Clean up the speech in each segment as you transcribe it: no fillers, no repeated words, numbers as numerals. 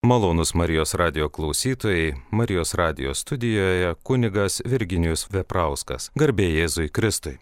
Malonūs Marijos radijo klausytojai, Marijos radijo studijoje kunigas Virginijus Veprauskas. Garbė Jėzui Kristui.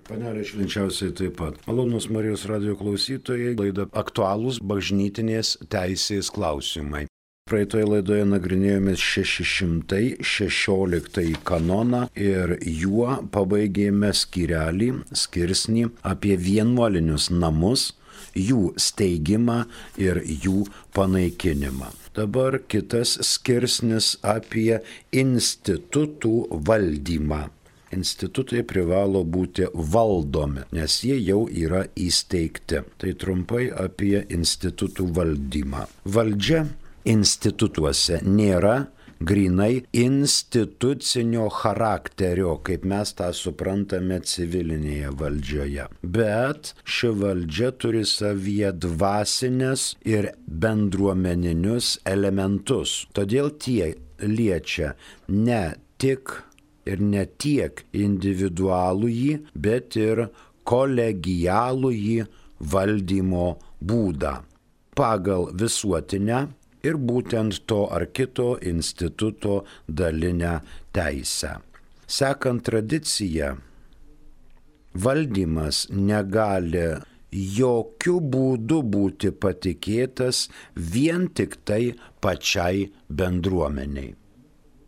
Panelė švenčiausiai taip pat. Malonūs Marijos radijo klausytojai, laida aktualūs bažnytinės teisės klausimai. Praeitoje laidoje nagrinėjome 616 kanoną ir juo pabaigėme skirsnį apie vienuolinius namus, jų steigimą ir jų panaikinimą. Dabar kitas skirsnis apie institutų valdymą. Institutai privalo būti valdomi, nes jie jau yra įsteigti. Tai trumpai apie institutų valdymą. Valdžia institutuose nėra grynai institucinio charakterio, kaip mes tą suprantame civilinėje valdžioje. Bet ši valdžia turi savyje dvasinės ir bendruomeninius elementus. Todėl tie liečia ne tik ir ne tiek individualųjį, bet ir kolegialųjį valdymo būdą pagal visuotinę ir būtent to ar kito instituto dalinę teisę. Sekant tradiciją, valdymas negali jokių būdų būti patikėtas vien tik tai pačiai bendruomeniai.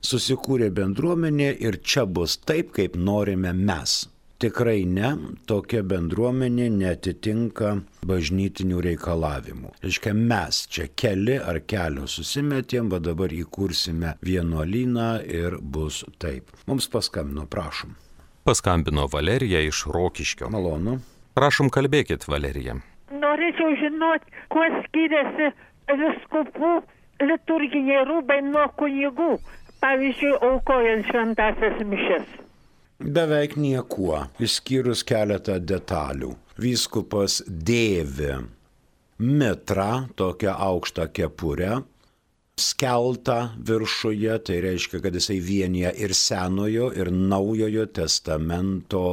Susikūrė bendruomenė ir čia bus taip, kaip norime mes. Tikrai ne, tokia bendruomenė neatitinka bažnytinių reikalavimų. Reiškia, mes čia keli ar kelios susimetėm, va dabar įkursime vienuolyną ir bus taip. Mums paskambino, prašom. Paskambino Valerija iš Rokiškio. Malonu. Prašom, kalbėkit, Valerija. Norėčiau žinoti, kuo skiriasi vyskupų liturginiai rūbai nuo kunigų, pavyzdžiui, aukojant šventąsias mišias. Beveik niekuo, išskyrus keletą detalių. Vyskupas dėvi mitrą, tokią aukštą kepurę, skeltą viršuje, tai reiškia, kad jisai vienija ir Senojo, ir Naujojo testamento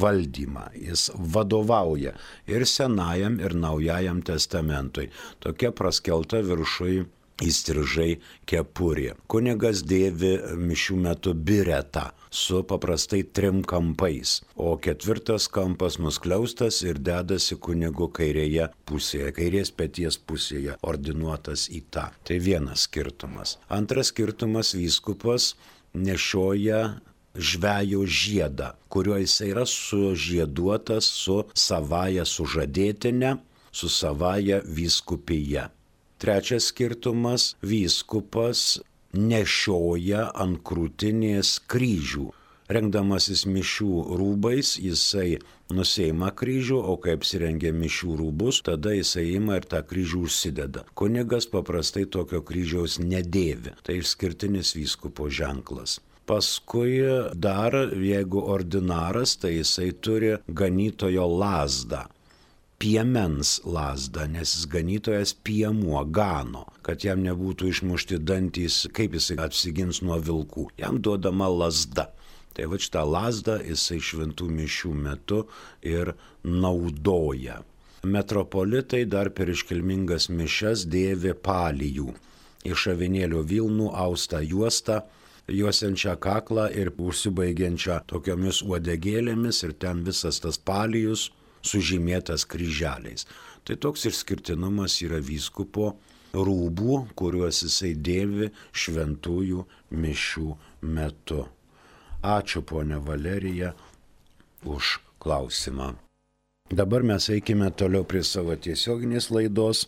valdymą. Jis vadovauja ir Senajam, ir Naujajam testamentui. Tokia praskelta viršui įstrižai kepurė. Kunigas dėvi mišių metu biretą su paprastai 3 kampais, o 4 kampas nuskliaustas ir dedasi kunigo kairėje pusėje, kairės peties pusėje, ordinuotas į tą. Tai vienas skirtumas. Antras skirtumas, vyskupas nešioja žvejo žiedą, kuriuo jis yra sužieduotas su savaja sužadėtine, su savaja vyskupija. Trečias skirtumas, vyskupas nešioja ant krūtinės kryžių. Rengdamasis mišių rūbais, jisai nuseima kryžių, o kai apsirengia mišių rūbus, tada jisai ima ir tą kryžių užsideda. Kunigas paprastai tokio kryžiaus nedėvi. Tai išskirtinis vyskupo ženklas. Paskui dar, jeigu ordinaras, tai jisai turi ganytojo lazdą. Piemens lazdą, nes jis ganytojas piemuo gano, kad jam nebūtų išmušti dantys, kaip jisai apsigins nuo vilkų. Jam duodama lazda. Tai va šitą lazdą jisai šventų mišių metu ir naudoja. Metropolitai dar per iškilmingas mišias dėvi palijų. Iš avinėlio vilnų austą juostą, juosiančią kaklą ir užsibaigiančią tokiomis uodegėlėmis ir ten visas tas palijus sužymėtas kryželiais. Tai toks išskirtinumas yra vyskupo rūbų, kuriuos jisai dėvi šventųjų mišių metu. Ačiū, ponia Valerija, už klausimą. Dabar mes eikime toliau prie savo tiesioginės laidos,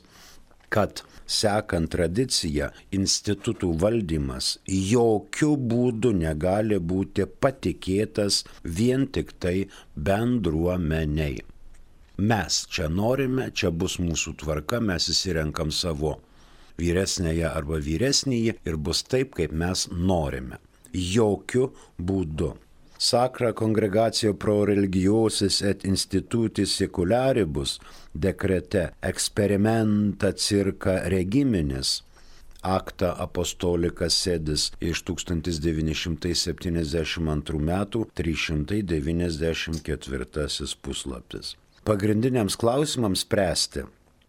kad sekant tradiciją, institutų valdymas jokių būdų negali būti patikėtas vien tik tai bendruomeniai. Mes čia norime, čia bus mūsų tvarka, mes įsirenkam savo vyresnėje arba vyresnįjį ir bus taip, kaip mes norime. Jokių būdų. Sacra Congregatio pro religiosis et institutis secularibus dekrete experimenta circa regiminis Acta Apostolica Sedis iš 1972 metų 394 puslapis. Pagrindiniams klausimams spręsti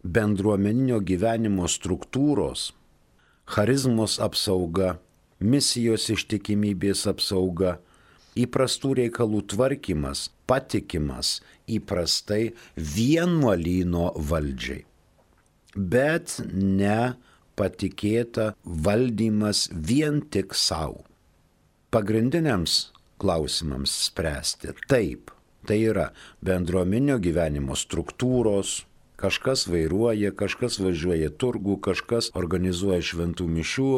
bendruomeninio gyvenimo struktūros, charizmos apsauga, misijos ištikimybės apsauga, įprastų reikalų tvarkymas, patikimas įprastai vienuolyno valdžiai, bet ne patikėta valdymas vien tik savo. Pagrindiniams klausimams spręsti taip, tai yra bendruomeninio gyvenimo struktūros, kažkas vairuoja, kažkas važiuoja turgų, kažkas organizuoja šventų mišių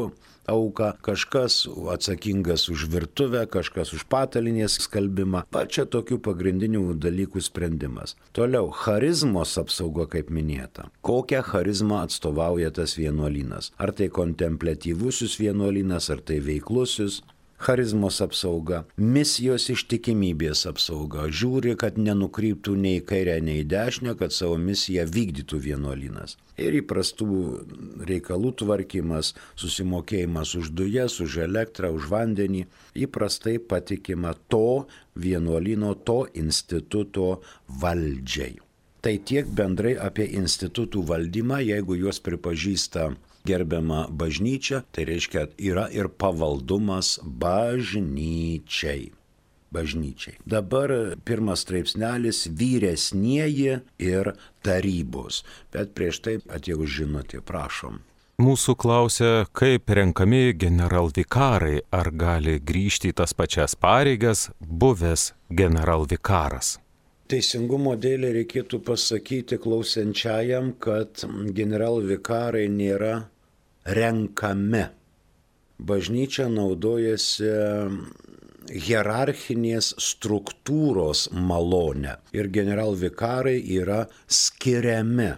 auką, kažkas atsakingas už virtuvę, kažkas už patalinės skalbimą. Pačia tokių pagrindinių dalykų sprendimas. Toliau, charizmos apsauga, kaip minėta. Kokią charizmą atstovauja tas vienuolynas? Ar tai kontempliatyvusis vienuolynas, ar tai veiklusis? Charizmos apsauga, misijos ištikimybės apsauga, žiūri, kad nenukryptų nei į kairę, nei į dešinę, kad savo misiją vykdytų vienuolynas. Ir įprastų reikalų tvarkymas, susimokėjimas už dujas, už elektrą, už vandenį, įprastai patikima to vienuolyno, to instituto valdžiai. Tai tiek bendrai apie institutų valdymą, jeigu juos pripažįsta gerbiama bažnyčia, tai reiškia, yra ir pavaldumas bažnyčiai. Dabar pirmas straipsnelis vyresnieji ir tarybos. Bet prieš tai atėjau žinutė, prašom. Mūsų klausia, kaip renkami generalvikarai, ar gali grįžti į tas pačias pareigas buvęs generalvikaras. Teisingumo dėlė reikėtų pasakyti klausiančiajam, kad generalvikarai nėra renkami. Bažnyčia naudojasi hierarchinės struktūros malonę ir generalvikarai yra skiriami,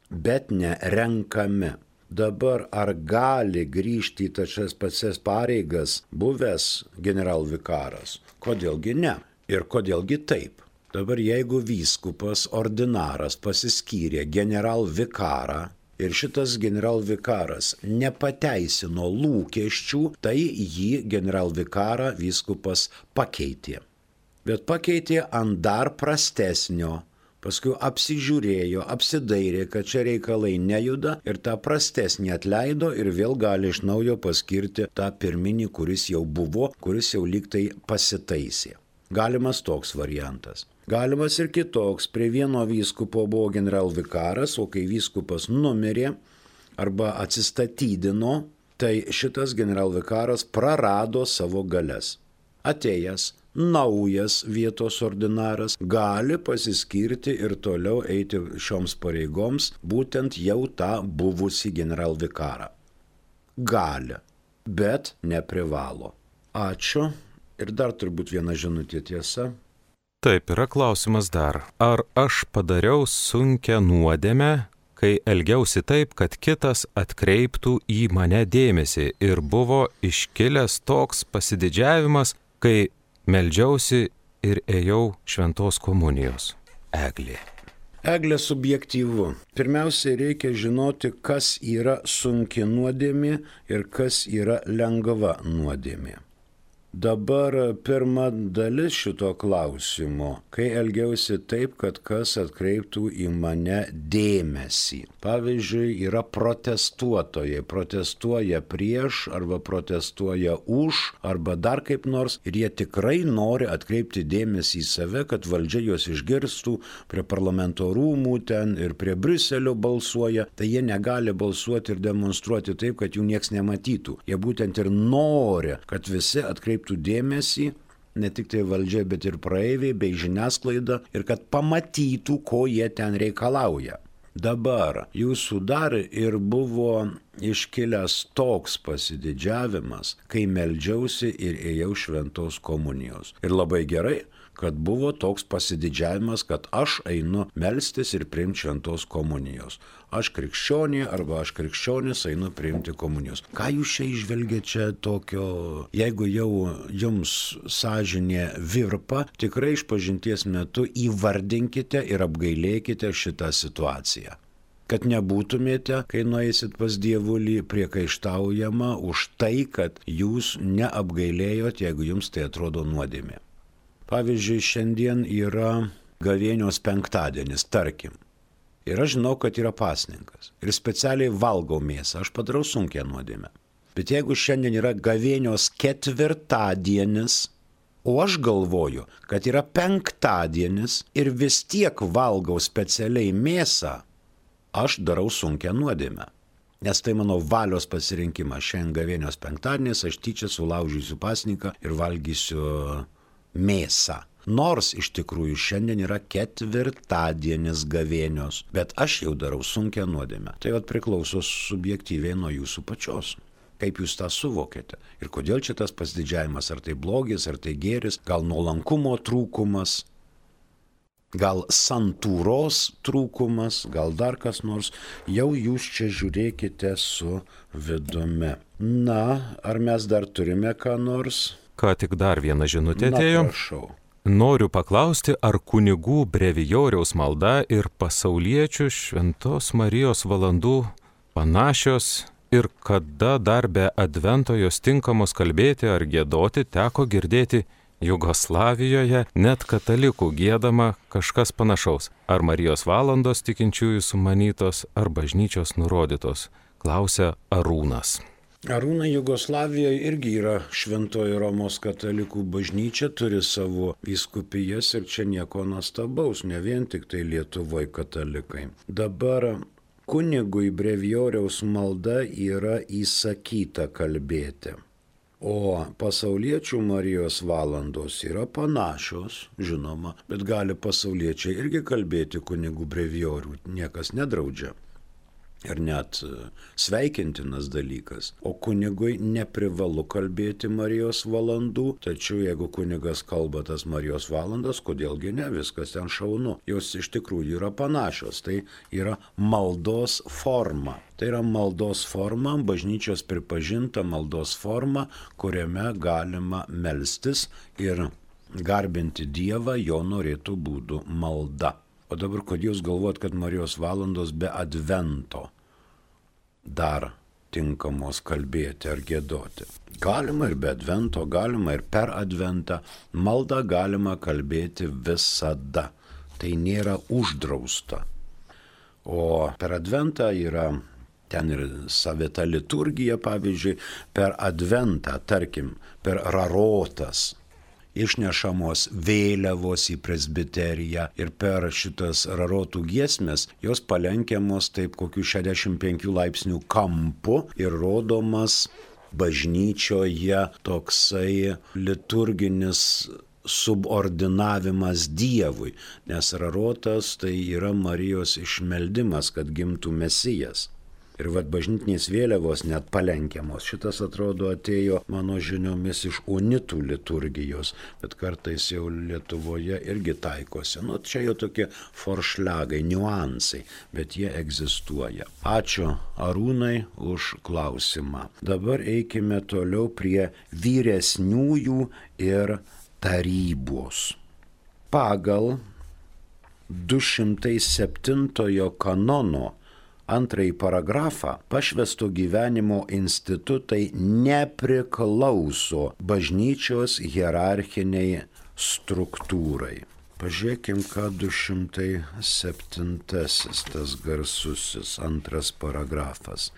bet ne renkami. Dabar ar gali grįžti į tas pačias pareigas buvęs generalvikaras? Kodėlgi ne? Ir kodėlgi taip? Dabar jeigu vyskupas ordinaras pasiskyrė generalvikarą ir šitas generalvikaras nepateisino lūkesčių, tai jį generalvikarą vyskupas pakeitė. Bet pakeitė ant dar prastesnio, paskui apsižiūrėjo, apsidairė, kad čia reikalai nejuda ir tą prastesnį atleido ir vėl gali iš naujo paskirti tą pirminį, kuris jau buvo, kuris jau lygtai pasitaisė. Galimas toks variantas. Galimas ir kitoks. Prie vieno vyskupo buvo generalvikaras, o kai vyskupas numirė arba atsistatydino, tai šitas generalvikaras prarado savo galias. Atėjęs naujas vietos ordinaras gali pasiskirti ir toliau eiti šioms pareigoms, būtent jau tą buvusį generalvikarą. Gali, bet neprivalo. Ačiū. Ir dar turbūt viena žinutė, tiesa. Taip, yra klausimas dar. Ar aš padariau sunkią nuodėmę, kai elgiausi taip, kad kitas atkreiptų į mane dėmesį ir buvo iškilęs toks pasididžiavimas, kai meldžiausi ir ėjau šventos komunijos? Eglė. Eglė subjektyvu. Pirmiausia, reikia žinoti, kas yra sunki nuodėmė ir kas yra lengva nuodėmė. Dabar pirma dalis šito klausimo, kai elgiausi taip, kad kas atkreiptų į mane dėmesį. Pavyzdžiui, yra protestuotojai, protestuoja prieš arba protestuoja už arba dar kaip nors ir jie tikrai nori atkreipti dėmesį į save, kad valdžia juos išgirstų, prie parlamento rūmų ten ir prie Briuselio balsuoja, tai jie negali balsuoti ir demonstruoti taip, kad jų nieks nematytų. Jie būtent ir nori, kad visi atkreiptų dėmesį, ne tik tai valdžia, bet ir praeiviai bei žiniasklaida ir kad pamatytų, ko jie ten reikalauja. Dabar jūsų dar ir buvo iškilęs toks pasididžiavimas, kai meldžiausi ir ėjau šventos komunijos. Ir labai gerai, kad buvo toks pasididžiavimas, kad aš einu melstis ir priimti šventos komunijos. Aš krikščionė arba aš krikščionis einu priimti komunijos. Ką jūs čia išvelgiate čia tokio, jeigu jau jums sąžinė virpa, tikrai išpažinties metu įvardinkite ir apgailėkite šitą situaciją. Kad nebūtumėte, kai nueisit pas Dievulį, priekaištaujama už tai, kad jūs neapgailėjot, jeigu jums tai atrodo nuodėmė. Pavyzdžiui, šiandien yra gavėnios penktadienis, tarkim. Ir aš žinau, kad yra pasninkas. Ir specialiai valgau mėsą. Aš padarau sunkią nuodėmę. Bet jeigu šiandien yra gavėnios ketvirtadienis, o aš galvoju, kad yra penktadienis ir vis tiek valgau specialiai mėsą, aš darau sunkią nuodėmę. Nes tai mano valios pasirinkimas. Šiandien gavėnios penktadienis aš tyčia sulaužysiu pasninką ir valgysiu mėsą. Nors iš tikrųjų šiandien yra ketvirtadienis gavėnios, bet aš jau darau sunkią nuodėmę. Tai priklauso subjektyviai nuo jūsų pačios. Kaip jūs tą suvokėte? Ir kodėl čia tas pasididžiavimas? Ar tai blogis, ar tai gėris? Gal nuolankumo trūkumas? Gal santūros trūkumas? Gal dar kas nors? Jau jūs čia žiūrėkite su vidumi. Na, ar mes dar turime ką nors? Ką tik dar viena žinutė atėjo. Na, prašau. Noriu paklausti, ar kunigų brevijoriaus malda ir pasauliečių Šventos Marijos valandų panašios ir kada dar be advento jos tinkamos kalbėti ar giedoti teko girdėti Jugoslavijoje net katalikų giedama kažkas panašaus. Ar Marijos valandos tikinčiųjų sumanytos, ar bažnyčios nurodytos, klausia Arūnas. Arūnai, Jugoslavijoje irgi yra Šventoji Romos katalikų bažnyčia, turi savo vyskupijas ir čia nieko nuostabaus, ne vien tik tai Lietuvoje katalikai. Dabar kunigui brevijoriaus malda yra įsakyta kalbėti, o pasauliečių Marijos valandos yra panašios, žinoma, bet gali pasauliečiai irgi kalbėti kunigų brevijorių, niekas nedraudžia. Ir net sveikintinas dalykas. O kunigui neprivalu kalbėti Marijos valandų, tačiau jeigu kunigas kalba tas Marijos valandas, kodėlgi ne, viskas ten šaunu. Jos iš tikrųjų yra panašios, tai yra maldos forma. Tai yra maldos forma, bažnyčios pripažinta maldos forma, kuriame galima melstis ir garbinti Dievą jo norėtų būdų malda. O dabar, kodėl jūs galvojat, kad Marijos valandos be advento dar tinkamos kalbėti ar giedoti? Galima ir be advento, galima ir per adventą. Maldą galima kalbėti visada. Tai nėra uždrausta. O per adventą yra ten ir savita liturgija, pavyzdžiui, per adventą, tarkim, per rarotas. Išnešamos vėliavos į presbiteriją ir per šitas rarotų giesmės jos palenkiamos taip kokių 65 laipsnių kampu ir rodomas bažnyčioje toksai liturginis subordinavimas Dievui, nes rarotas tai yra Marijos išmeldimas, kad gimtų Mesijas. Ir bažnytinės vėliavos net palenkiamos. Šitas atrodo atėjo mano žiniomis iš unitų liturgijos, bet kartais jau Lietuvoje irgi taikosi. Čia jau tokie foršliagai, niuansai, bet jie egzistuoja. Ačiū Arūnai už klausimą. Dabar eikime toliau prie vyresniųjų ir tarybos. Pagal 207 kanono antrąjį paragrafą pašvęsto gyvenimo institutai nepriklauso bažnyčios hierarchiniai struktūrai. Pažiūrėkim, ką 207 tas garsusis antras paragrafas.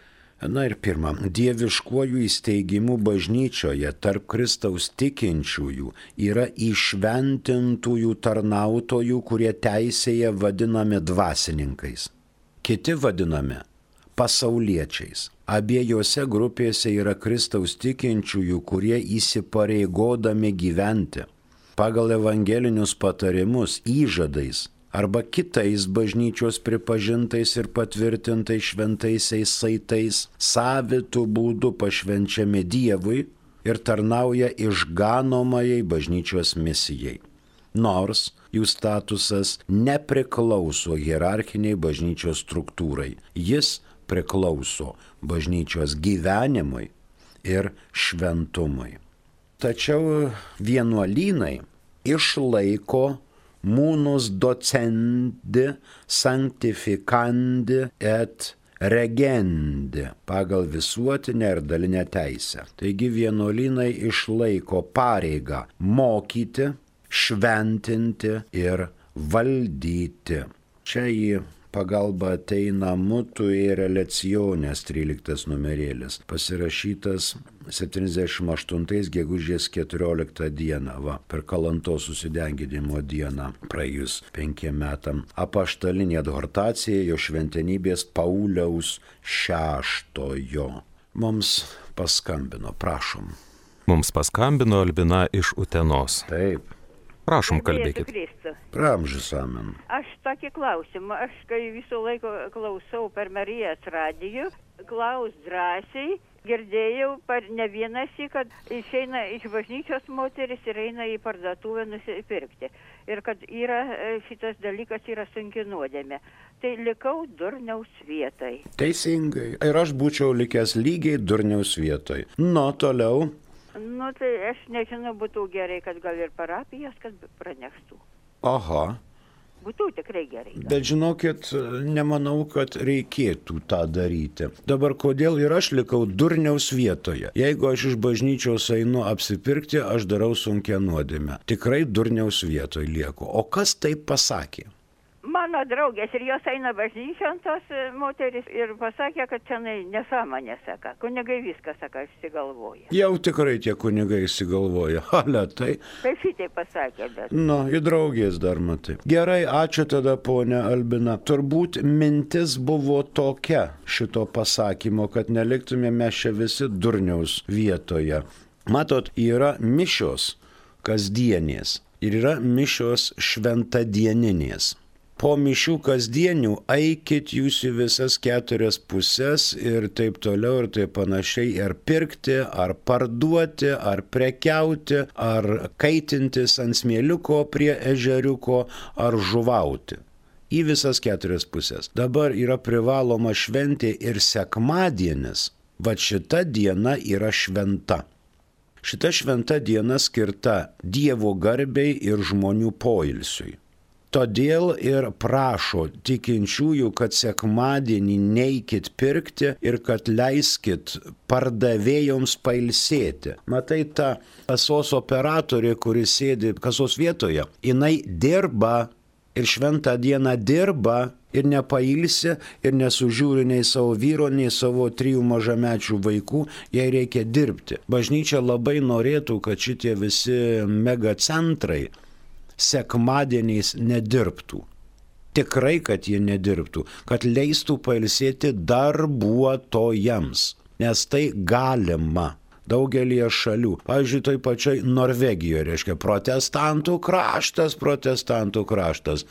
Na ir pirma, dieviškuoju įsteigimu bažnyčioje tarp Kristaus tikinčiųjų yra įšventintųjų tarnautojų, kurie teisėje vadinami dvasininkais. Kiti vadinami pasauliečiais. Abiejose grupėse yra Kristaus tikinčiųjų, kurie įsipareigodami gyventi pagal evangelinius patarimus, įžadais arba kitais bažnyčios pripažintais ir patvirtintais šventaisiais saitais savitų būdų pašvenčiami Dievui ir tarnauja išganomajai bažnyčios misijai. Nors jų statusas nepriklauso hierarchiniai bažnyčios struktūrai. Jis priklauso bažnyčios gyvenimui ir šventumui. Tačiau vienuolynai išlaiko munus docendi, sanctificandi et regendi pagal visuotinę ir dalinę teisę. Taigi vienuolynai išlaiko pareigą mokyti, šventinti ir valdyti. Čia į pagalba ateina Mutuere Lecionės 13 numerėlis, pasirašytas 78 gegužės 14 dieną, per Kalantos susidenginimo dieną, praėjus 5 metam. Apaštalinė adhortacija jo šventenybės Pauliaus VI. Mums paskambino, prašom. Mums paskambino Albina iš Utenos. Taip. Prašom, kalbėkit. Pramžis amen. Aš tokį klausimą, aš kai visą laiką klausau per Marijos radiją, klaus drąsiai, girdėjau ne vienąsyk, kad išeina iš bažnyčios moteris ir eina į parduotuvę nusipirkti. Ir kad šitas dalykas yra sunki nuodėmė. Tai likau durniaus vietoj. Teisingai. Ir aš būčiau likęs lygiai durniaus vietoj. Toliau. Tai aš nežinau, būtų gerai, kad gal ir parapijas, kad praneštų. Aha. Būtų tikrai gerai. Bet žinokit, nemanau, kad reikėtų tą daryti. Dabar kodėl ir aš likau durniaus vietoje? Jeigu aš iš bažnyčios einu apsipirkti, aš darau sunkią nuodėmę. Tikrai durniaus vietoje lieku. O kas taip pasakė? Mano draugės ir jos eina bažnyčion tos moteris ir pasakė, kad čia nesąmonė, saka. Kunigai viską, saka, išsigalvoja. Jau tikrai tie kunigai išsigalvoja. Tai. Tai šitai pasakė, bet. Į draugės dar matai. Gerai, ačiū tada, ponia Albina. Turbūt mintis buvo tokia šito pasakymo, kad neliktumėme čia visi durniaus vietoje. Matot, yra mišios kasdienės ir yra mišios šventadieninės. Po mišių kasdienių eikit jūs į visas 4 pusės ir taip toliau ir taip panašiai, ar pirkti, ar parduoti, ar prekiauti, ar kaitintis ant smėliuko prie ežeriuko, ar žuvauti. Į visas 4 pusės. Dabar yra privaloma šventė ir sekmadienis. Šita diena yra šventa. Šita šventa diena skirta Dievo garbei ir žmonių poilsiui. Todėl ir prašo tikinčiųjų, kad sekmadienį neikit pirkti ir kad leiskit pardavėjoms pailsėti. Matai, ta kasos operatorė, kuri sėdi kasos vietoje, jinai dirba ir šventą dieną dirba ir nepailsi ir nesužiūri nei savo vyro, nei savo 3 mažamečių vaikų, jai reikia dirbti. Bažnyčia labai norėtų, kad šitie visi megacentrai sekmadieniais nedirbtų. Tikrai, kad jie nedirbtų, kad leistų pailsėti darbuotojams, nes tai galima daugelį šalių. Pavyzdžiui, toj pačioj Norvegijoje, reiškia, protestantų kraštas.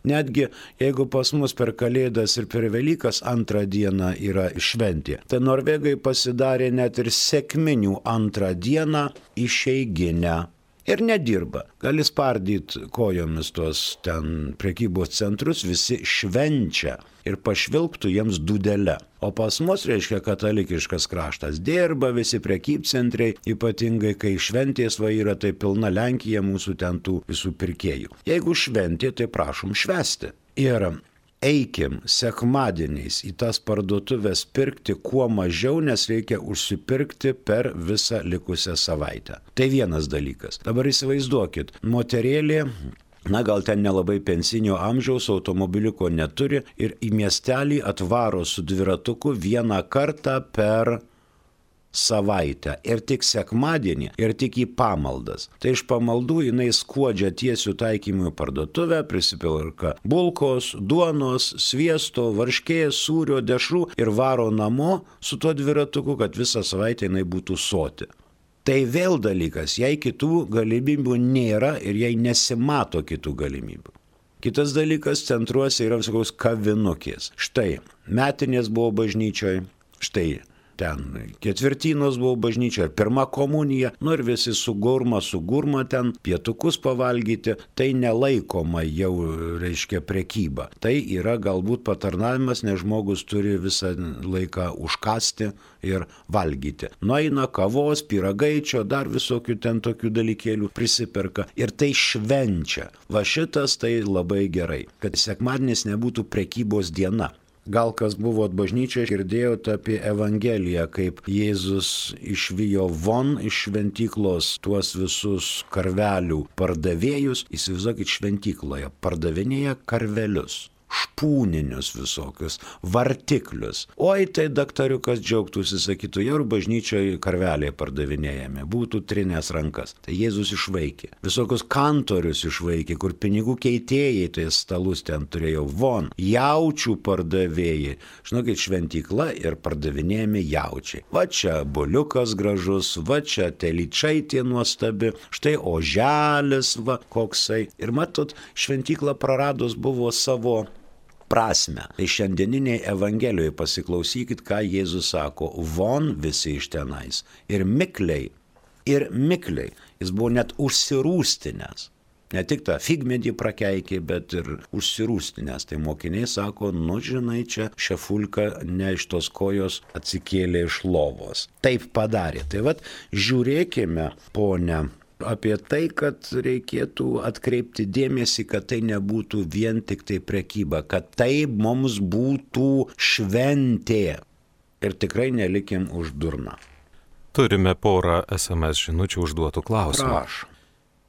Netgi jeigu pas mus per Kalėdas ir per Velykas 2 dieną yra šventė, tai norvegai pasidarė net ir sekminių 2 dieną išeiginę. Ir nedirba. Gali spardyti kojomis tuos ten prekybos centrus, visi švenčia ir pašvilptų jiems dūdelę. O pas mus, reiškia, katalikiškas kraštas dirba, visi prekybcentriai, ypatingai kai šventės yra, tai pilna Lenkija mūsų ten tų visų pirkėjų. Jeigu šventė, tai prašom švęsti. Ir eikim sekmadieniais į tas parduotuvės pirkti kuo mažiau, nes reikia užsipirkti per visą likusią savaitę. Tai vienas dalykas. Dabar įsivaizduokit, moterėlė, gal ten nelabai pensinio amžiaus, automobiliuko neturi ir į miestelį atvaro su dviratuku 1 kartą per savaitę ir tik sekmadienį ir tik į pamaldas. Tai iš pamaldų jinai skuodžia tiesių taikymų parduotuvę, prisipilka bulkos, duonos, sviesto, varškės, sūrio, dešrų ir varo namo su tuo dviratuku, kad visą savaitę jinai būtų soti. Tai vėl dalykas, jei kitų galimybių nėra ir jei nesimato kitų galimybių. Kitas dalykas, centruose yra visokios kavinukės. Štai, metinės buvo bažnyčioje, štai, ten ketvirtinos buvo bažnyčia, ir 1 komunija, ir visi su gurma ten pietukus pavalgyti, tai nelaikoma jau, reiškia, prekyba. Tai yra galbūt patarnavimas, nes žmogus turi visą laiką užkasti ir valgyti. Nueina kavos, pyragaičio, dar visokių ten tokių dalykėlių prisiperka ir tai švenčia. Šitas tai labai gerai, kad sekmadienis nebūtų prekybos diena. Gal kas buvo bažnyčioje, girdėjote apie Evangeliją, kaip Jėzus išvijo von iš šventyklos tuos visus karvelių pardavėjus. Įsivaizduokit, šventykloje pardavinėja karvelius. špūninius visokius, vartiklius. Oi, tai daktariukas džiaugtųsi, sakytų, jau bažnyčioje karveliai pardavinėjami, būtų trinės rankas. Tai Jėzus išvaikė. Visokius kantorius išvaikė, kur pinigų keitėjai, tai stalus ten turėjo von. Jaučių pardavėjai. Žinokit, šventykla ir pardavinėjami jaučiai. Va čia buliukas gražus, va čia telyčaitė nuostabi, štai oželis, va koksai. Ir matot, šventykla praradus buvo savo prasme. Tai šiandieniniai Evangelijoje pasiklausykit, ką Jėzus sako, von visi iš tenais. Ir mikliai. Jis buvo net užsirūstinęs. Ne tik tą figmedį prakeikė, bet ir užsirūstinęs. Tai mokiniai sako, nu žinai, čia šefulka ne iš tos kojos atsikėlė iš lovos. Taip padarė. Tai vat žiūrėkime, ponia, apie tai, kad reikėtų atkreipti dėmesį, kad tai nebūtų vien tik tai prekyba, kad tai mums būtų šventė. Ir tikrai nelikim už durną. Turime porą SMS žinučių užduotų klausimų. Prašom.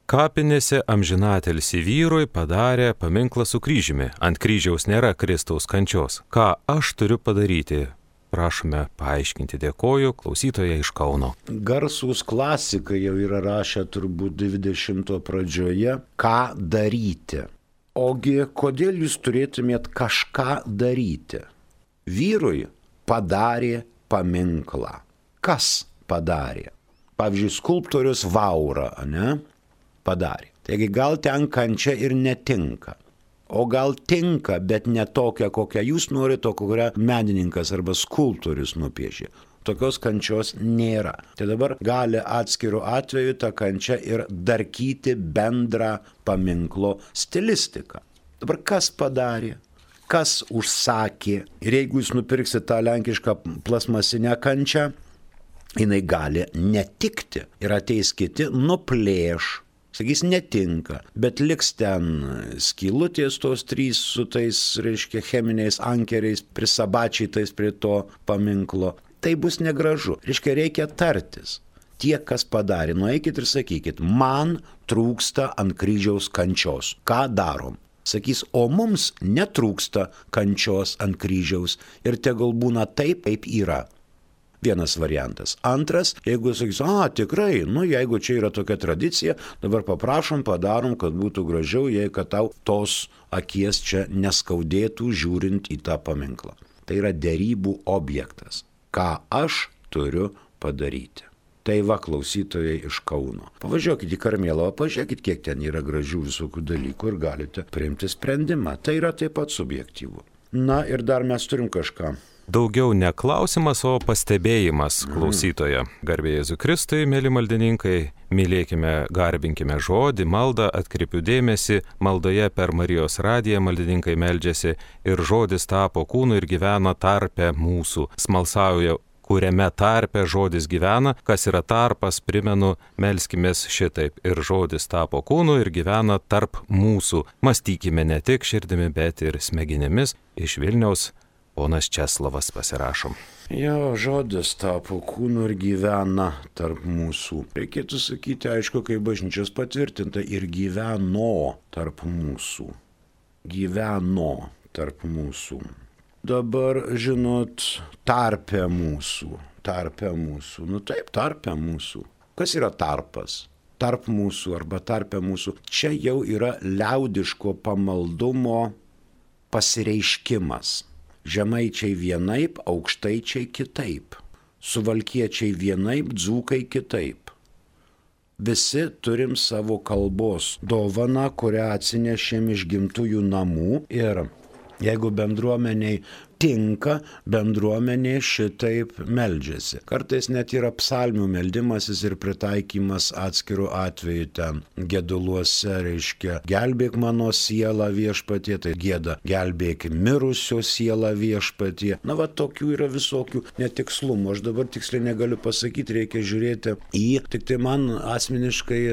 Kapinėse amžinatilsį vyrui padarė paminklą su kryžiumi. Ant kryžiaus nėra Kristaus kančios. Ką aš turiu padaryti? Prašome paaiškinti, dėkoju, klausytoja iš Kauno. Garsūs klasikai jau yra rašę turbūt 20 pradžioje, ką daryti. Ogi, kodėl jūs turėtumėt kažką daryti? Vyrui padarė paminklą. Kas padarė? Pavyzdžiui, skulptorius Vaura, ne? Padarė. Taigi gal ten kančia ir netinka. O gal tinka, bet ne tokia, kokią jūs norite, o kurią menininkas arba skulptorius nupiešė. Tokios kančios nėra. Tai dabar gali atskiru atveju tą kančią ir darkyti bendrą paminklo stilistiką. Dabar kas padarė? Kas užsakė? Ir jeigu jūs nupirksite tą lenkišką plasmasinę kančią, jinai gali netikti. Ir ateis kiti, nuplėš. Sakys, netinka, bet liks ten skylutės tos 3 su tais, reiškia, cheminiais ankeriais, prisabačytais prie to paminklo. Tai bus negražu. Reiškia, reikia tartis. Tie, kas padarė, nueikit ir sakykit, man trūksta ant kryžiaus kančios. Ką darom? Sakys, o mums netrūksta kančios ant kryžiaus ir tegul būna taip, kaip yra. Vienas variantas. Antras, jeigu sakys, tikrai, jeigu čia yra tokia tradicija, dabar paprašom, padarom, kad būtų gražiau, jei kad tau tos akies čia neskaudėtų žiūrint į tą paminklą. Tai yra derybų objektas. Ką aš turiu padaryti? Tai va, klausytojai iš Kauno. Pavažiuokit į Karmėlavą, pažiūrėkit, kiek ten yra gražių visokių dalykų ir galite priimti sprendimą. Tai yra taip pat subjektyvu. Na ir dar mes turim kažką. Daugiau ne klausimas, o pastebėjimas klausytoja. Garbė Jėzui Kristui, mėly maldininkai, mylėkime, garbinkime žodį, maldą, atkreipiu dėmesį, maldoje per Marijos radiją maldininkai meldžiasi ir žodis tapo kūnu ir gyvena tarpe mūsų. Smalsauja, kuriame tarpe žodis gyvena, kas yra tarpas, primenu, melskimės šitaip. Ir žodis tapo kūnu ir gyvena tarp mūsų. Mąstykime ne tik širdimi, bet ir smegenimis. Iš Vilniaus ponas Česlavas pasirašom. Jo, žodis tapo kūnu ir gyvena tarp mūsų. Reikėtų sakyti, aišku, kaip bažnyčios patvirtinta, ir gyveno tarp mūsų. Gyveno tarp mūsų. Dabar, žinot, tarpe mūsų. Taip, tarpe mūsų. Kas yra tarpas? Tarp mūsų arba tarpe mūsų. Čia jau yra liaudiško pamaldumo pasireiškimas. Žemaičiai vienaip, aukštaičiai kitaip. Suvalkiečiai vienaip, dzūkai kitaip. Visi turim savo kalbos dovaną, kurią atsinešėm iš gimtųjų namų ir jeigu bendruomeniai tinka, bendruomenė šitaip meldžiasi. Kartais net yra psalmių meldimasis ir pritaikymas atskirų atveju ten geduluose, reiškia, gelbėk mano sielą viešpatie, tai gieda, gelbėk mirusio sielą viešpatie. Na va, tokių yra visokių netikslumų. Aš dabar tiksliai negaliu pasakyti, reikia žiūrėti į, tik tai man asmeniškai,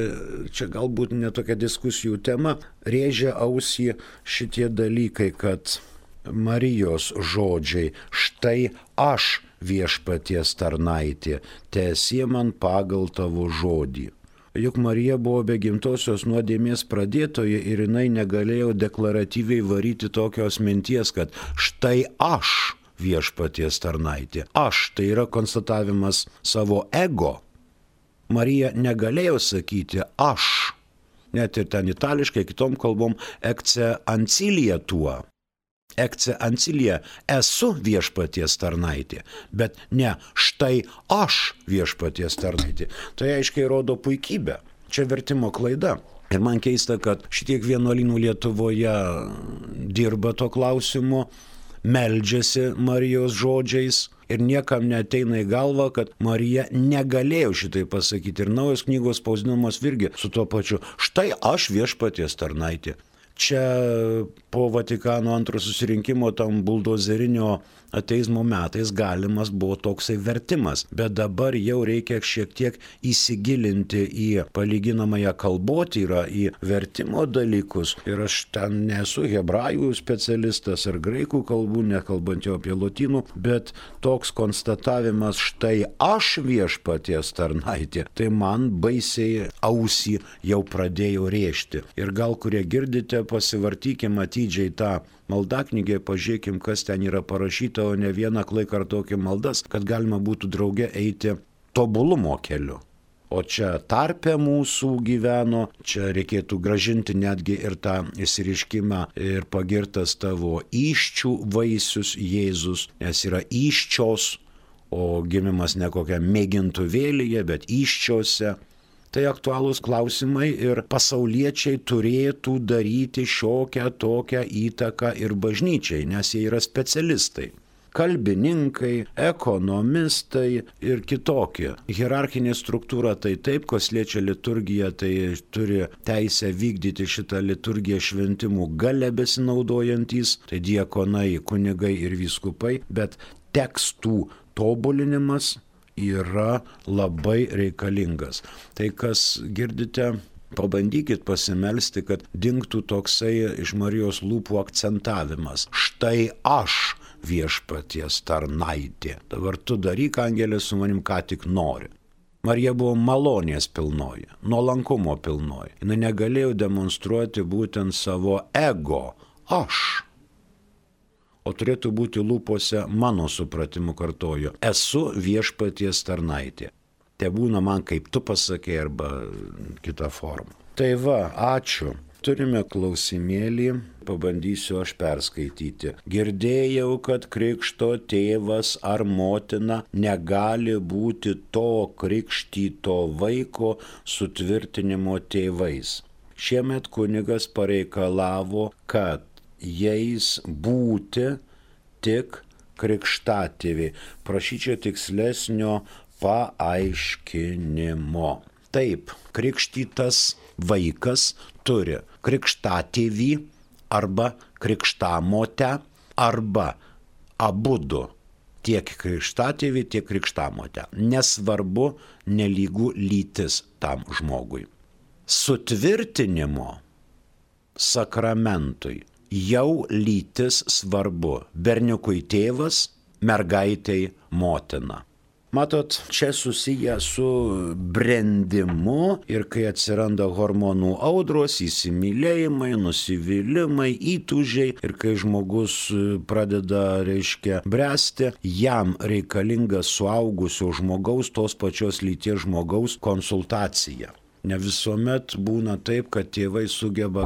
čia galbūt netokia diskusijų tema, rėžia ausį šitie dalykai, kad Marijos žodžiai, štai aš viešpaties tarnaitė, teesie man pagal tavo žodį. juk Marija buvo be gimtosios nuodėmės pradėtoja ir jinai negalėjo deklaratyviai varyti tokios minties, kad štai aš viešpaties tarnaitė. Aš, tai yra konstatavimas savo ego. Marija negalėjo sakyti aš, net ir ten itališkai, kitom kalbom, ecce ancilia tua. Ecce ancilia, esu viešpaties tarnaitė, bet ne štai aš viešpaties tarnaitė. Tai aiškiai rodo puikybę. Čia vertimo klaida. Ir man keista, kad šitiek vienuolynų Lietuvoje dirba to klausimu, meldžiasi Marijos žodžiais ir niekam neateina į galvą, kad Marija negalėjo šitai pasakyti. Ir naujos knygos spausdinamos irgi su tuo pačiu. Štai aš viešpaties tarnaitė. Čia po Vatikano antro susirinkimo tam buldozerinio ateizmo metais galimas buvo toksai vertimas, bet dabar jau reikia šiek tiek įsigilinti į palyginamąją kalbotyrą, į vertimo dalykus. Ir aš ten nesu hebrajų specialistas ar graikų kalbų, nekalbant jau apie lotynų, bet toks konstatavimas štai aš viešpaties tarnaitė, tai man baisiai ausį jau pradėjo rėžti. Ir gal kurie girdite, pasivartykime atidžiai tą maldaknygę, pažiūrėkim, kas ten yra parašyta, o ne vieną klai kartokim maldas, kad galima būtų drauge eiti tobulumo keliu. O čia tarpe mūsų gyveno, čia reikėtų gražinti netgi ir tą išsireiškimą ir pagirtas tavo įsčių vaisius Jėzus, nes yra įsčios, o gimimas ne kokia mėgintuvėlyje, bet įsčiose. Tai aktualūs klausimai ir pasauliečiai turėtų daryti šiokią tokią įtaką ir bažnyčiai, nes jie yra specialistai. Kalbininkai, ekonomistai ir kitokie. Hierarchinė struktūra tai taip, kas liečia liturgiją, tai turi teisę vykdyti šitą liturgiją šventimų gale besinaudojantys, tai diakonai, kunigai ir vyskupai, bet tekstų tobulinimas yra labai reikalingas. Tai kas girdite, pabandykit pasimelsti, kad dingtų toksai iš Marijos lūpų akcentavimas. Štai aš viešpaties tarnaitė. Dabar tu daryk, angelė, su manim ką tik nori. Marija buvo malonės pilnoji, nuolankumo pilnoji. Jis negalėjo demonstruoti būtent savo ego. Aš. O turėtų būti lūpose, mano supratimu kartoju, esu viešpaties tarnaitė. Te būna man, kaip tu pasakei, arba kita forma. Tai va, ačiū. Turime klausimėlį, pabandysiu aš perskaityti. Girdėjau, kad krikšto tėvas ar motina negali būti to krikštyto vaiko sutvirtinimo tėvais. Šiemet kunigas pareikalavo, kad jais būti tik krikštatėviai. Prašyčiau tikslesnio paaiškinimo. Taip, krikštytas vaikas turi krikštatėvį arba krikštamotę arba abudu. Tiek krikštatėvį, tiek krikštamotę. Nesvarbu, nelygų lytis tam žmogui. Sutvirtinimo sakramentui jau lytis svarbu. Berniukui tėvas, mergaitei motina. Matot, čia susiję su brendimu ir kai atsiranda hormonų audros, įsimylėjimai, nusivylimai, įtūžiai ir kai žmogus pradeda, bręsti, jam reikalinga suaugusio žmogaus, tos pačios lyties žmogaus konsultacija. Ne visuomet būna taip, kad tėvai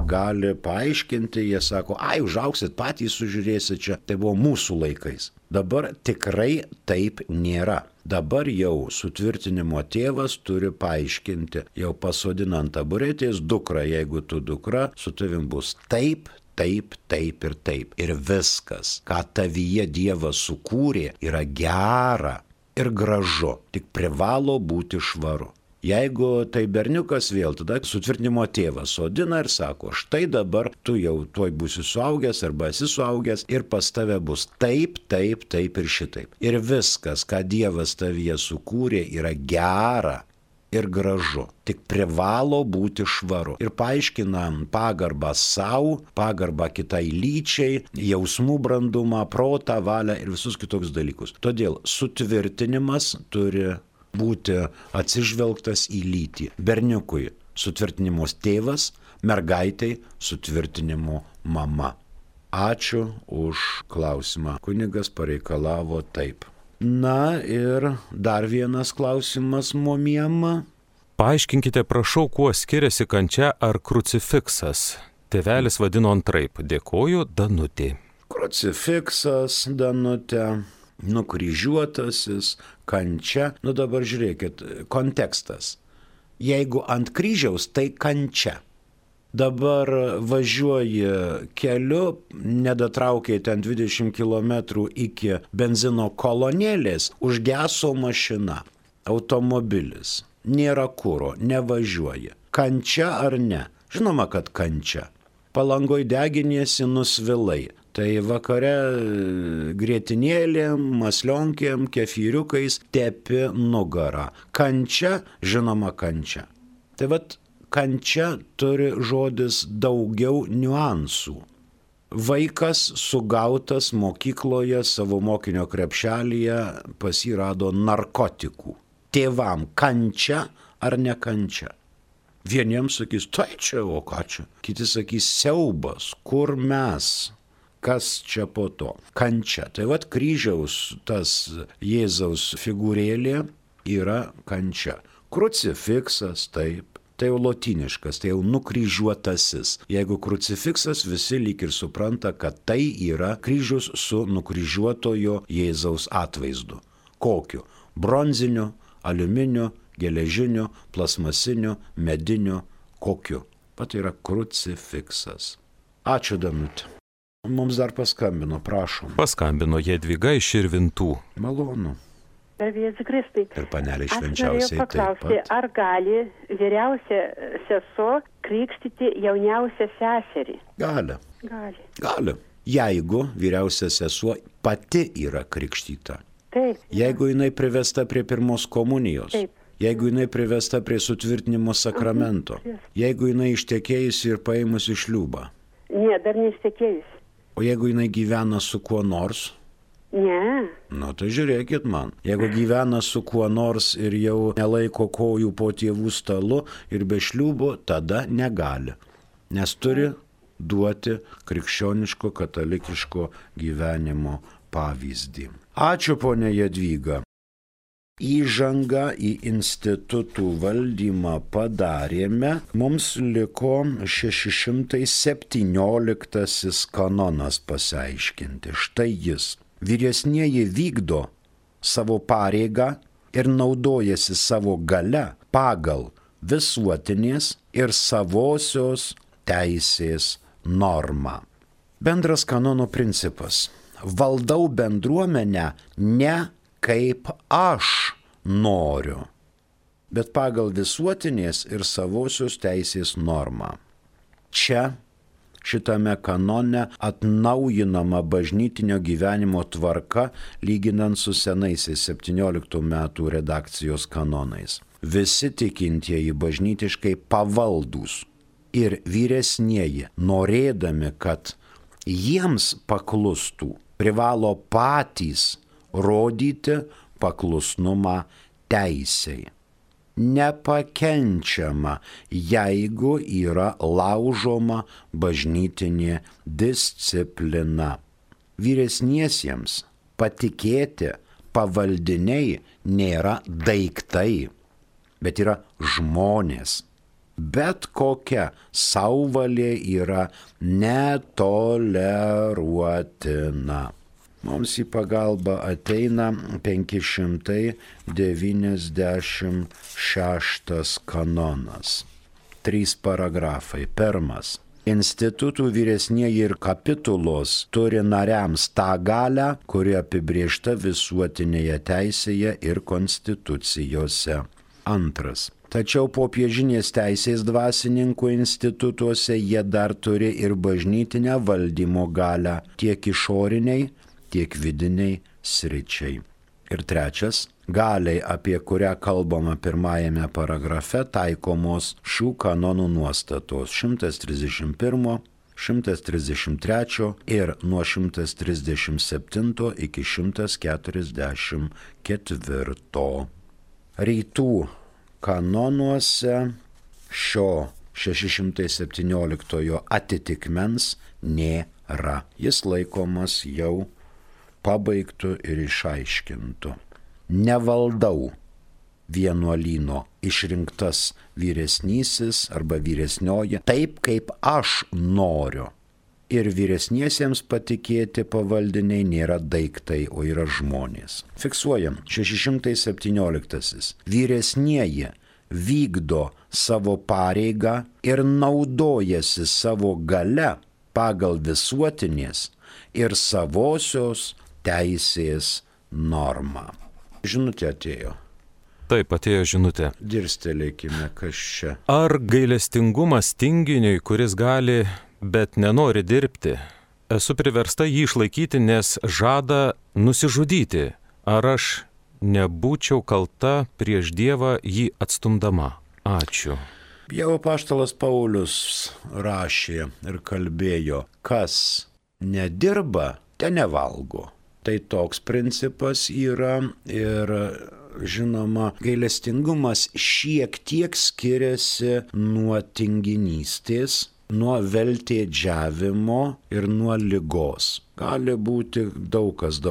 gali paaiškinti, jie sako, užaugsit patys, sužiūrėsit čia, tai buvo mūsų laikais. Dabar tikrai taip nėra. Dabar jau sutvirtinimo tėvas turi paaiškinti, jau pasodinant taburetės dukrą, jeigu tu dukra, su tavim bus taip, taip, taip ir taip. Ir viskas, ką tavyje Dievas sukūrė, yra gera ir gražu, tik privalo būti švaru. Jeigu tai berniukas vėl, tada sutvirtinimo tėvas sodina ir sako, štai dabar tu jau tuoj būsi suaugęs arba esi suaugęs ir pas tave bus taip, taip, taip ir šitaip. Ir viskas, ką Dievas tavyje sukūrė, yra gera ir gražu, tik privalo būti švaru. Ir paaiškinam pagarbą savo, pagarbą kitai lyčiai, jausmų brandumą, protą, valią ir visus kitokius dalykus. Todėl sutvirtinimas turi būti atsižvelgtas į lytį. Berniukui sutvirtinimo tėvas, mergaitai sutvirtinimo mama. Ačiū už klausimą. Kunigas pareikalavo taip. Na ir dar vienas klausimas momiem. Paaiškinkite, prašau, kuo skiriasi kančia ar krucifiksas. Tėvelis vadino antraip. Dėkoju, Danutė. Krucifiksas, Danutė, nukryžiuotasis, kančia. Nu dabar žiūrėkit, kontekstas. Jeigu ant kryžiaus, tai kančia. Dabar važiuoji keliu, nedatraukiai ten 20 km iki benzino kolonėlės, užgeso mašina, automobilis, nėra kuro, nevažiuoji. Kančia ar ne? Žinoma, kad kančia. Palangoj deginiesi, nusvilai. Tai vakare grietinėlėm, maslionkėm, kefyriukais tepi nugarą. Kančia, žinoma, kančia. Tai vat kančia turi žodis daugiau niuansų. Vaikas sugautas mokykloje savo mokinio krepšelyje pasirado narkotikų. Tėvam kančia ar ne kančia? Vieniems sakys, tai čia, o ką čia? Kiti sakys, siaubas, kur mes? Kas čia po to? Kančia. Tai vat kryžiaus tas Jėzaus figūrėlė yra kančia. Krucifiksas, taip. Tai jau lotyniškas, tai jau nukryžiuotasis. Jeigu krucifiksas, visi lyg ir supranta, kad tai yra kryžius su nukryžiuotojo Jėzaus atvaizdu. Kokiu? Bronziniu, aliuminiu, geležiniu, plasmasiniu, mediniu, kokiu? Pat yra krucifiksas. Ačiū, Danutė. Mums dar paskambino, prašom. Paskambino Jadvyga iš Širvintų. Malonu. Garbėsiu Kristui. Ir panelė Aš švenčiausiai norėjau paklausti, ar gali vyriausia sesuo krikštyti jauniausią seserį? Gali. Gali. Jeigu vyriausia sesuo pati yra krikštyta. Taip. Jeigu jinai privesta prie pirmos komunijos. Taip. Jeigu jinai privesta prie sutvirtinimo sakramento. Jeigu jinai ištekėjusi ir paėmusi šliūbą. Ne, dar neištekėjusi. O jeigu jinai gyvena su kuo nors? Ne. Nu tai žiūrėkit man. Jeigu gyvena su kuo nors ir jau nelaiko kojų po tėvų stalu ir be šliūbo, tada negali. Nes turi duoti krikščioniško katalikiško gyvenimo pavyzdį. Ačiū, ponė Jadvyga. Įžangą į institutų valdymą padarėme. Mums liko 617 kanonas pasiaiškinti. Štai jis. Vyresnieji vykdo savo pareigą ir naudojasi savo gale pagal visuotinės ir savosios teisės normą. Bendras kanono principas. Valdau bendruomenę ne kaip aš noriu, bet pagal visuotinės ir savosios teisės normą. Čia šitame kanone atnaujinama bažnytinio gyvenimo tvarka lyginant su senaisiais 17 metų redakcijos kanonais. Visi tikintieji bažnytiškai pavaldūs ir vyresnieji, norėdami, kad jiems paklustų, privalo patys rodyti paklusnumą teisei. Nepakenčiama, jeigu yra laužoma bažnytinė disciplina. Vyresniesiems patikėti pavaldiniai nėra daiktai, bet yra žmonės. Bet kokia sauvalė yra netoleruotina. Mums į pagalbą ateina 596 kanonas. 3 paragrafai. Pirmas. Institutų vyresnieji ir kapitulos turi nariams tą galią, kuri apibrėžta visuotinėje teisėje ir konstitucijose. Antras. Tačiau popiežinės teisės dvasininkų institutuose jie dar turi ir bažnytinę valdymo galią tiek išoriniai, tiek vidiniai sričiai. Ir trečias, galiai, apie kurią kalbama pirmajame paragrafe, taikomos šių kanonų nuostatos 131, 133 ir nuo 137 iki 144. Rytų kanonuose šio 617 atitikmens nėra. Jis laikomas jau pabaigtų ir išaiškintų. Nevaldau vienuolyno išrinktas vyresnysis arba vyresnioji taip, kaip aš noriu. Ir vyresniesiems patikėti pavaldiniai nėra daiktai, o yra žmonės. Fiksuojam, 617. Vyresnieji vykdo savo pareigą ir naudojasi savo gale pagal visuotinės ir savosios teisės normą. Žinutė atėjo. Taip, atėjo žinutė. Dirstelėkime, kas čia. Ar gailestingumas tinginiui, kuris gali, bet nenori dirbti? Esu priversta jį išlaikyti, nes žada nusižudyti. Ar aš nebūčiau kalta prieš Dievą jį atstumdama? Ačiū. Jau apaštalas Paulius rašė ir kalbėjo, kas nedirba, te nevalgo. Tai toks principas yra ir žinoma, gailestingumas šiek tiek skiriasi nuo tinginystės, nuo veltėdžiavimo ir nuo ligos. Gali būti daug kas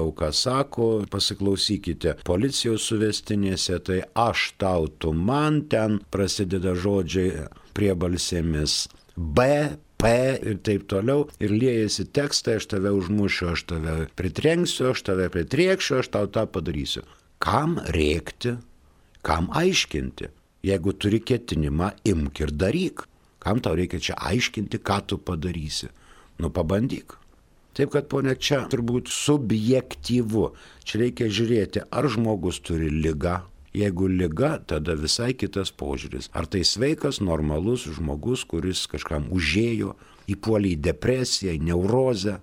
sako, pasiklausykite policijos suvestinėse, tai aš tau, tu man, ten prasideda žodžiai priebalsėmis B, P ir taip toliau, ir liejasi tekstai, aš tave užmušiu, aš tave pritrenksiu, aš tave pritrėksiu, aš tau tą padarysiu. Kam rėkti, kam aiškinti? Jeigu turi ketinimą, imk ir daryk. Kam tau reikia čia aiškinti, ką tu padarysi? Nu, pabandyk. Taip, kad ponia, čia turbūt subjektyvu. Čia reikia žiūrėti, ar žmogus turi ligą. Jeigu liga, tada visai kitas požiūris. Ar tai sveikas, normalus žmogus, kuris kažkam užėjo, įpuolė į depresiją, į neurozę,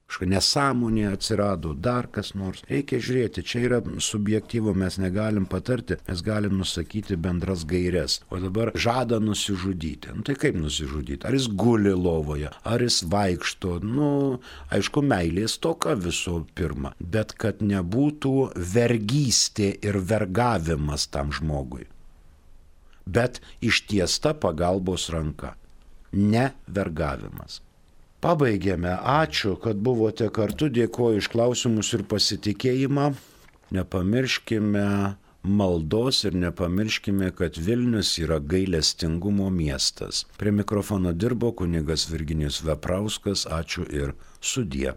kažkokia nesąmonė atsirado, dar kas nors. Reikia žiūrėti, čia yra subjektyvu, mes negalim patarti, mes galim nusakyti bendras gaires. O dabar žada nusižudyti. Nu tai kaip nusižudyti? Ar jis guli lovoje, ar jis vaikšto? Nu, aišku, meilės toka visų pirma, bet kad nebūtų vergystė ir vergavimas tam žmogui. Bet ištiesta pagalbos ranka, ne vergavimas. Pabaigėme. Ačiū, kad buvote kartu. Dėkoju iš klausimus ir pasitikėjimą. Nepamirškime maldos ir nepamirškime, kad Vilnius yra gailestingumo miestas. Prie mikrofono dirbo kunigas Virginijus Veprauskas. Ačiū ir sudie.